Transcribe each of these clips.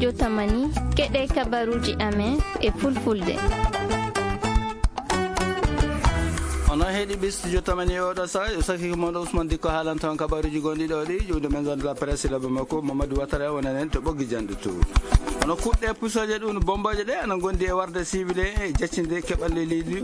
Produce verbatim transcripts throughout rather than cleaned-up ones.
Studio Tamani, keɗe kabaruji amen e fulfulde. Onon heɗiɓe Studio Tamani e oɗo saha, yo saki ko moɗo Ousmane Dikko haalanta on kabaruji gonɗi ɗo ɗi, ƴuwde maison de la presse, laɓe makko Mamadou Ouattara wonanen to ɓoggi janɗe to. Ono kuɗɗe pusoje ɗum bomboje ɗe ana gondi e warde civil e jaccinde keɓal leydi,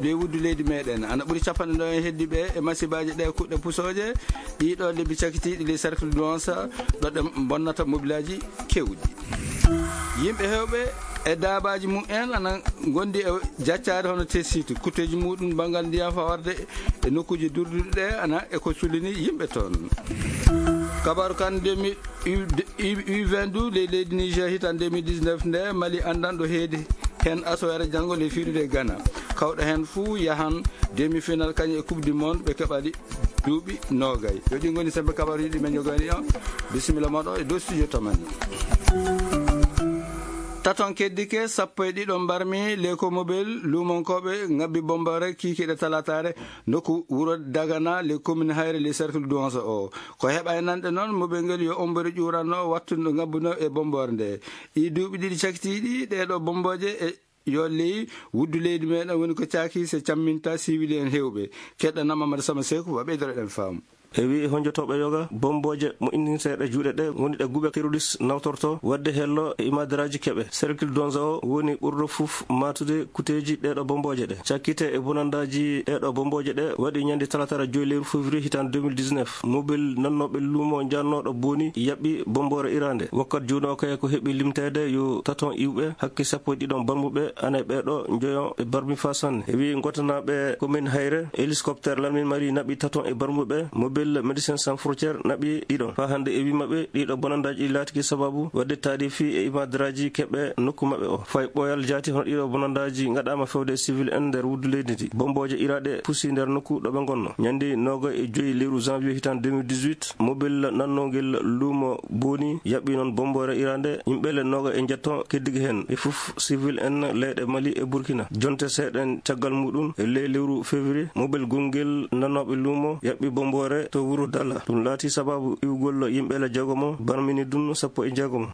ley wuddu leydi meɗen. Ana ɓuri capanɗe ɗo e heddiɓe e masibaji ɗe kuɗɗe pusoje, ɗiɗo lebbi cakitiɗi les cercles de Douanza, ɗo ɗe bonnata mobilaji kewɗi. Yimɓe hewɓe e daabaji mum en ana gondi e jaccaade hono tesitu, kutteji muɗum banngal ndiyam fawarde e nokkuji durduɗi ɗe ana e ko sulini yimɓe toon. Kabaru kan ndemi U vingt-deux ley leydi Niger hitan deux mille dix-neuf nde Mali anndan ɗo heedi heen asoyare janngo ley fiirude Ghana. Kawɗo heen fuu yahan demi-final kañum e Coupe du Monde ɓe keɓali duuɓi noogay. Yo ɗi ngoni sembe kabaruji ɗi men jogani on. Bisimilla moɗo e dow Studio Tamani. Taton keddike, sappo e ɗiɗo mbarmi, leko mobile, luumonkooɓe ngabbi bomboore kiikiɗe talataare, nokku wuro Dagana, les communes Hayre, les cercles Douanza o. Ko heɓa e nanɗe noon, mobile ngel yo ommbori ƴuuranno wattude ngabbuno e bomboore nde. Ɗi duuɓi ɗiɗi cakitiiɗi, ɗeɗo bomboje e yo ley wuddu leydi meɗen woni ko caaki so camminta civil en hewɓe. Keɗɗanam Amadou Sama Seeku, wa ɓeydoro ɗen faamu. E wi honjotoɓe yoga, bomboje mo inninteɗe juuɗe ɗe ngoni ɗe guɓe terroriste nawtorto wadde hello e imadaraji keɓe. Cercle Donza o woni ɓurɗo fuf matude kuteji ɗeɗo bomboje ɗe. Cakkite e bonandaji ɗeɗo bomboje ɗe waɗi ñande talatara joyi lewru février hitan deux mille dix-neuf. Mobile nannoɓe lumo jannoɗo boni yaɓɓi bombore irande. Wakkat juuno kay ko heɓi limtede yo taton iwɓe hakke sappo e ɗiɗon barmuɓe ana e ɓeɗo joyon e barmi fa sanne. E wi gotanaɓe commune Hayre, hélicoptère Lamine Mari naɓi taton e barmuɓe, mobile Médecins Sans Frontières naɓi ɗiɗon. Fa hande e wi maɓɓe ɗiɗo bonandaji ɗi laatiki sababu wadde taadi fi e imadaraji keɓe nokku maɓɓe o. Fay ɓoyal jaati hono ɗiɗo bonandaji gaɗama fewde e civil en nder wuddu leydi ndi. Bomboje iraɗe pusi nder nokku ɗo ɓe gonno. Ñande noga e joyi lewru janvier hitan deux mille dix-huit, mobile nannogel lumo boni yaɓɓi noon bombore irande yimɓe le noga e jetto keddigi hen. Ɓe fuf civil en leyɗe Mali e Burkina. Jonte seeɗen caggal muɗum e ley lewru février, mobile gongel nanoɓe lumo yaɓɓi bombore to wuro Dala. Ɗum laati sababu iwgol yimɓe le jeegomo, barmini ɗum sappo e jeegomo.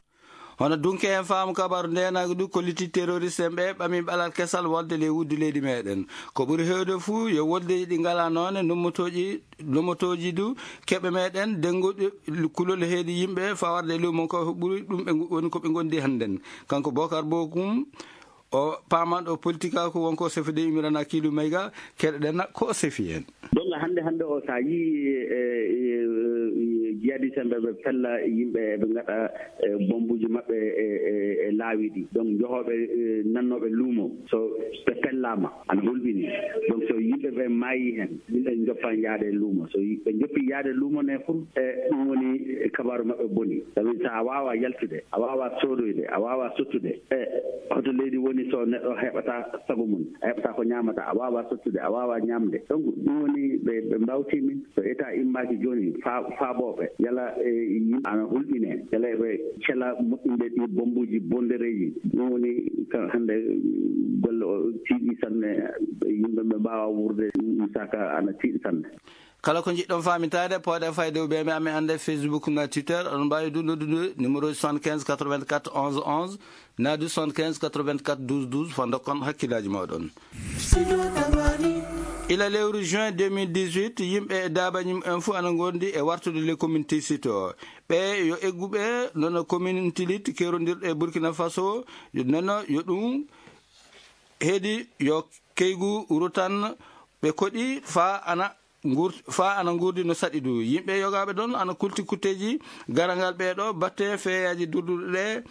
Hono dunke en faamu kabaru ndenagu du, ko litti terroriste en ɓe ɓami ɓalal kesal wolde ley wuddu leydi meɗen. Ko ɓuri hewde fuu yo woldeji ɗi ngala noone nommotoji, nommotoji du keɓe meɗen denguɗi kulol heedi yimɓe fawarde e lumo ko ɓuri ɗum ɓe ngu-, woni ko ɓe gondi hannden. Kanko Bokar Bokum, o pamanɗo politika ko wonko sefide imirana kiilu mayga, keɗoɗen ko o sefi hen. Donc hannde, hannde o, so a yii, e, e, e, jihadiste en ɓe, ɓe pella yimɓe, ɓe ngaɗa, e, bombuji maɓɓe e, e, e laawi ɗi. Donc, jehooɓe, e, nannooɓe luumo, so ɓe pellaama, ana hulɓini. Donc, so yimɓe ɓe maayi heen, yimɓe njoppan yaade e luumo. So yi-, ɓe njoppi yaade luumo ne fur, e, ɗum woni kabaaru maɓɓe boni. Sabi so a waawa yaltude, a waawa soodoyde, a waawa sottude, e, hoto leydi woni so neɗɗo heɓata sago mum, a heɓata ko ñaamata, a waawa sottude, a waawa ñaamde. Donc, ɗum woni ɓe, ɓe mbawti min. So état immaaki jooni, fa-, faabooɓe, yala, e, yimɓe ana hulɓine, yala ɓe cela moƴƴinde ɗi bombuji bondereeji. Ɗum woni ka hannde golle o tiiɗi sanne, yimɓe ɓe mbaawa wuurde, ɗum saka ana tiiɗi sanne. Kala ko njiɗɗon faamitaade, pooɗe fayde o ɓe mi amen annde Facebook na Twitter, oɗon mbaawi ɗum noddude numéro soixante-quinze quatre-vingt-quatre onze onze, naadu soixante-quinze quatre-vingt-quatre douze douze, fa ndokkon hakkillaaji mooɗon. Ila lewru juin deux mille dix-huit, yimɓe e daabaji mum en fof ana ngondi e wartude le commune Tissot. Ɓe yo egguɓe nono commune Tilit kewrondirɗo e Burkina Faso, yo nono yo ɗum heedi yo keygu rutan ɓe koɗi fa ana ngur-, fa ana ngurdi no saɗi du. Yimɓe yogaaɓe ɗon ana kulti kutteeji garangal ɓeeɗo batte feeyaaji durduɗe ɗe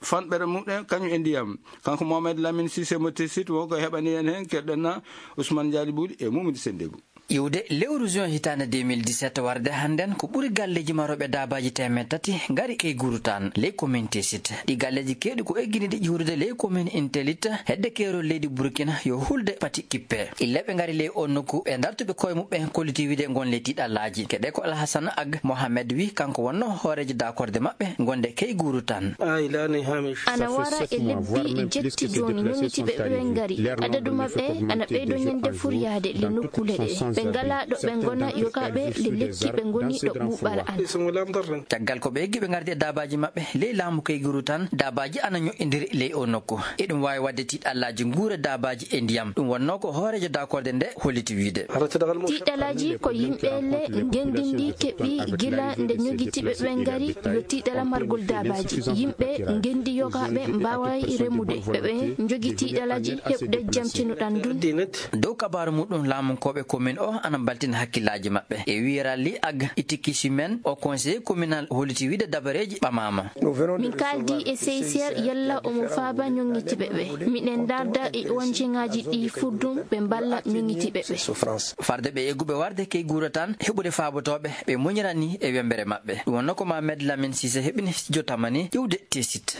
fanɓere muɗen kañum e ndiyam. Kanko Mohamed Lamine Cissé mo Tessit wonko heɓani en heen, keɗɗen na Ousmane Dialli Bouly e Moumoudi Sendebou. Iwde lewru juin hitaande deux mille dix-sept warde hannden ko ɓuri galleeji marooɓe daabaaji teemeɗɗe tati ngari key gurutaan ley commune Tessit. Ɗi galleeji keewɗi ko egginiiɗi ƴuurude ley commune Intelit hedde keerol leydi Burkina yo hulde pati kippe. Illa ɓe ngari ley on nokku, ɓe dartuɓe koye muɓɓen kolliti wiide ngon ley tiiɗallaaji. Keɗe ko Alhassane Ag Mohamed wi, kanko wonno hooreejo daakorde maɓɓe gonde key guuru tan. Ana wara e lebbi jetti jooni, noniti ɓe ɓe ngari. Adadu maɓɓe ana ɓeydo ñande fur yahde le nokkuule ɗe. Ɓe ngalaa ɗo ɓe ngona, yogaaɓe nde lekki ɓe ngoni ɗo ɓuuɓal alaa. Caggal ko ɓe eggi ɓe ngardi e daabaaji maɓɓe ley laamu Kayguru tan, daabaaji ana ñoƴƴindiri ley o nokku. Eɗum waawi waɗde tiiɗallaaji nguure daabaaji e ndiyam. Ɗum wonnoo ko hooreejo daakorde nde holliti wiyde. Tiiɗalaaji ko yimɓe le ngenndi ndi keɓi gila nde ñogitiiɓe ɓe ngari, yo tiiɗala margol daabaaji. Yimɓe ngenndi yogaaɓe mbaaway remude. Ɓe ɓe njogi tiiɗalaaji heɓde jamtinuɗan ndun. Dow kabaaru muɗum, laamunkooɓe commune o ana mbaltina hakkillaaji maɓɓe. E wiyeral li Ag Itikisimen, o conseiller communal holliti wiyde dabareeji ɓamaama. Min kaaldi e C I C R yalla omo faaba ñoŋŋitiiɓe ɓe. Miɗen ndaarda e O N G ŋaaji ɗi furdum ɓe mballa ñoŋŋitiiɓe ɓe. Farde ɓe egguɓe warde Kayguru tan heɓude faabotooɓe ɓe muñirani e wembere maɓɓe. Ɗum wonnoo ko Mohamed Lamine Cissé heɓini studio Tamani ƴiwde Tesit.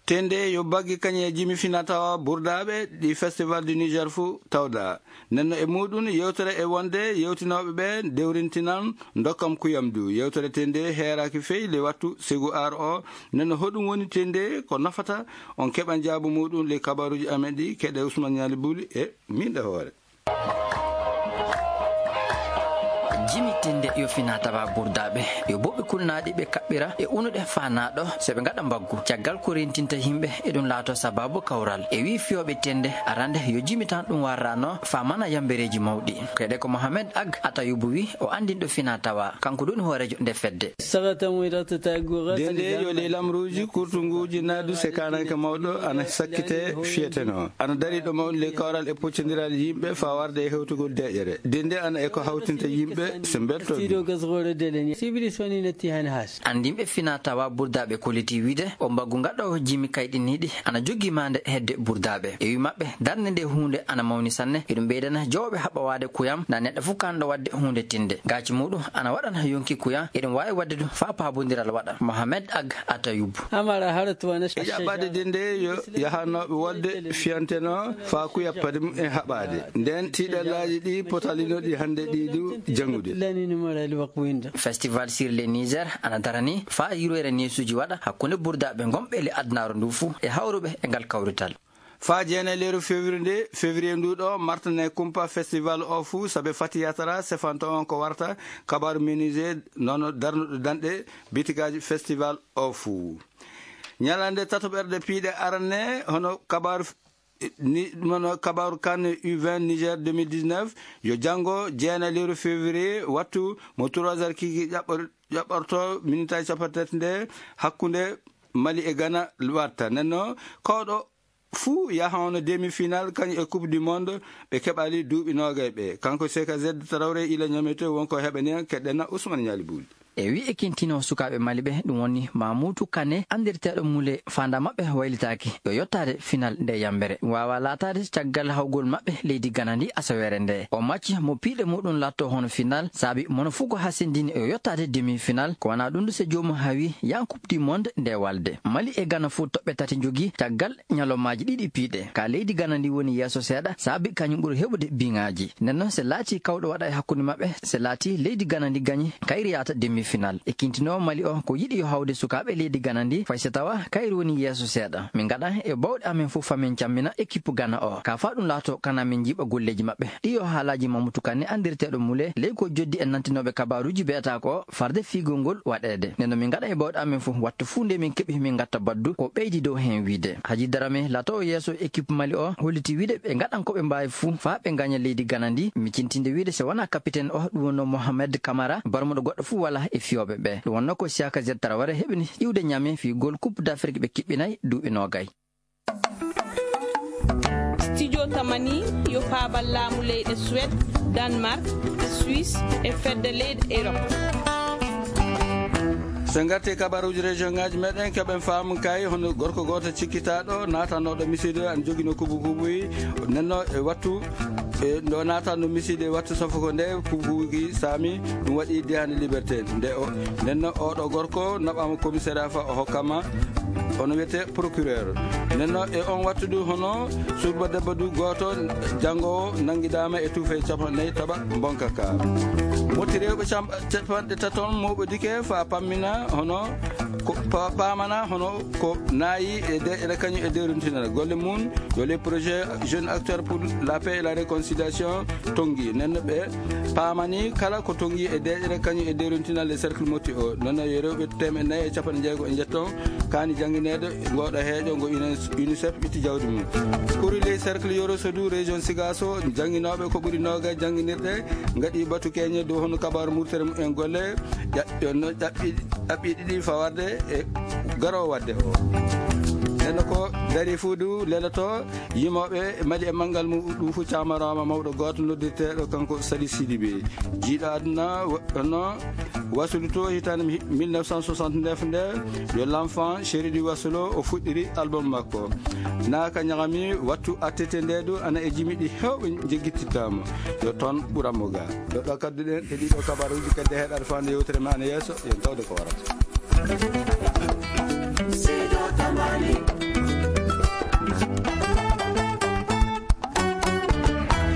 Tende yo baggi kañe jimi fina tawa burdaaɓe ɗi Festival du Niger fuu tawda. Nenno e muɗum yewtere e wonde yewtinooɓe ɓe dewrintinan dokkam kuyam du. Yewtere tende heeraaki fey le wattu segu ar o. Nenno hoɗum woni tende ko nafata on keɓan jaabu muɗum le kabaruji amen ɗi keɗe Ousmane Ñaali Buli e min ɗe hoore. Jimi tende yo fina tawa burdaaɓe, yo boɓɓe kulnaaɗi ɓe kaɓɓira e unuɗe faanaaɗo so ɓe ngaɗa mbaggu. Caggal ko rentinta yimɓe, eɗum laato sababu kawral. E wii fiyooɓe tende arande yo jimi tan ɗum warrano faamana yambereeji mawɗi. Keɗe ko Mohamed Ag Atayubu wi o anndinɗo fina tawa, kanko ɗum hooreejo nde fedde. Dende yo ley lamruuji kurtunguuji naadu se kaananke mawɗo ana sakkite fiyeteno. Ana dari ɗo mawɗo ley kawral e poccondiral yimɓe faa warde e hewtugol deƴere. Dende ana e ko hawtinta yimɓe se mbelto. Anndinɓe fina tawa burdaaɓe kolliti wiyde o mbaggu ngaɗoowo jimi kayɗiniiɗi ana jogii maande hedde burdaaɓe. E wi maɓɓe, darnde nde huunde ana mawni sanne. Eɗum ɓeydana jowɓe haɓawaade kuyam na neɗɗo fof kanɗo waɗde huunde tinde. Gaaci muɗum ana waɗana yonki kuyam. Eɗum waawi waɗde ɗum faa paabondiral waɗa. Mohamed Ag Atayubu. E jaɓɓaade de nde yo yahanooɓe wolde fiyanteno faa kuya paadi mum en haɓaade. Nden tiiɗallaaji ɗi potalinoɗi hannde ɗi du janngude. Festival sur le Niger ana darani faa yurweere neesuuji waɗa hakkunde burdaaɓe ngonɓe le adunaaru ndu fuu e hawruɓe e ngal kawrital. Faa jeenayleeru février nde, février ndu ɗo, martane kumpa festival o fuu, sabe Fati Yatara sefanto on ko warta kabaaru menuisier, nono darnuɗo danɗe bitigaaji festival o fuu. Ñalande tatoɓerde piiɗe arane, hono kabaaru f-, ni, hono kabaaru kan U vingt Niger deux mille dix-neuf, yo janngo jeenayleeru février, wattu mo trois heures kiiki ƴaɓɓor-, ƴaɓɓorto minitaaji cappanɗe tati nde hakkunde Mali e Ghana watta. Nenno, kawɗo fuu yaha hono demi-final kañum e Coupe du Monde ɓe keɓali duuɓi noogay ɓe. Kanko C K Z Traoré ila Niamey to wonko heɓani en keɗɗena Ousmane Ñaali Buuli. E wi e kintino sukaaɓe Mali ɓe, ɗum woni Mamoudou Kane, anndirteeɗo Mule, faanda maɓɓe waylitaaki, yo yottaade final nde yambere. Ɗum waawa laataade caggal hawgol maɓɓe leydi Ghana ndi asaweere nde. O macci mo piiɗe muɗum laatto hono final, saabi mono fuu ko hasindini yo yottaade demi-final, ko wanaa ɗum du se joomum hawi yan Coupe du Monde nde walde. Mali e Ghana fuu toɓɓe tati njogii caggal ñalawmaaji ɗiɗi piiɗe. Ka leydi Ghana ndi woni yeeso seeɗa, saabi kañum ɓuri heɓude biŋaaji. Nden noon, se laatii kawɗo waɗa e hakkunde maɓɓe, se laatii leydi Ghana ndi gañi, kayri yaata demi-final. E kintinoowo Mali o, ko yiɗi yo hawde sukaaɓe leydi Ghana ndi, fay so tawa kayri woni yeeso seeɗa. Min ngaɗa e bawɗe amen fof, famin cammina équipe Ghana o. Ka faa ɗum laato kana min njiiɓa golleeji maɓɓe. Ɗi yo haalaaji Mamadou Kane, anndirteeɗo Mule, ley ko joddi e nantinooɓe kabaaruuji be'ataa ko farde fiigol ngol waɗeede. Nden no min ngaɗa e bawɗe amen fof, wattu fuu nde min keɓi min ngatta baddu, ko ɓeydi dow heen wiide. Haji Darame, laatoowo yeeso équipe Mali o, holliti wiide ɓe ngaɗan ko ɓe mbaawi fuu faa ɓe ngaña leydi Ghana ndi, micintinde wiide so wonaa kapiten o, ɗum wonnoo Mohamed Kamara, barmuɗo goɗɗo fuu walaa e fiyooɓe ɓe. Ɗum wonnoo ko Siaka Z Traoré heɓini iwde Niamey fiigol Coupe d'Afrique ɓe kiɓɓinay duuɓi noogay. Studio Tamani yo faabal laamu leyɗe Suède, Danemark, Suisse e fedde leyɗe Europe. So ngarti kabaruuji région ŋaaji meɗen, keɓen faamu kay hono gorko gooto cikkitaaɗo naatanooɗo misiide an jogino kubu kubuyi, nenno e wattu, e ndo naatanno misiide e wattu safoko nde kubu kubuyi saami, ɗum waɗi dehande liberté. Nde o, nenno oɗo gorko naɓaama commissariat fa o hokkama hono wiyetee procureur. Nenno e on wattu du hono surba debbo du gooto janngo nanngidaama e tuufe capanɗe nayi taɓa mbonka ka. Motti rewɓe cam- capanɗe taton moɓodike fa pammina hono ko pa- pamana hono ko nayi e de ene kañum e dewrintinal golle mum yo les projets jeunes acteurs pour la paix et la réconciliation tongi nenno ɓe pamani kala ko tongi e deƴere kañum e dewrintinal e cercle motti o nenno yo rewɓe temeɗe nayi e capanɗe jeego e jetton kani janngineede ngoɗo heeƴo ngo unicef itti jawdi mum. Ɓuri ley cercle yoro sodu région sigaso jannginooɓe ko ɓuri noga jannginirɗe ngaɗi batu keñe dow hono kabaru murtere mumen golle ƴaɓɓi ɗiɗi fawarde e garo wadde o nenno ko dari fuudu lelato yimooɓe mali e manngal mum ɗum fof camarooma mawɗo gooto noddirteeɗo kanko sali sidibe jiiɗo aduna no wasulu to hitaande mille neuf cent soixante-neuf nde yo l'enfant chéri du wasulo o fuɗɗiri album makko naaka ñagami wattu attete nde ɗo ana e jimiɗi hewɓe jeggittitama yo toon ɓuranmo ga ɗo ɗo kadduɗen e ɗiɗo kabaruji kadi heɗaɗo fande yewtere ma ana yeeso yen tawde ko warata. Sido Tamani.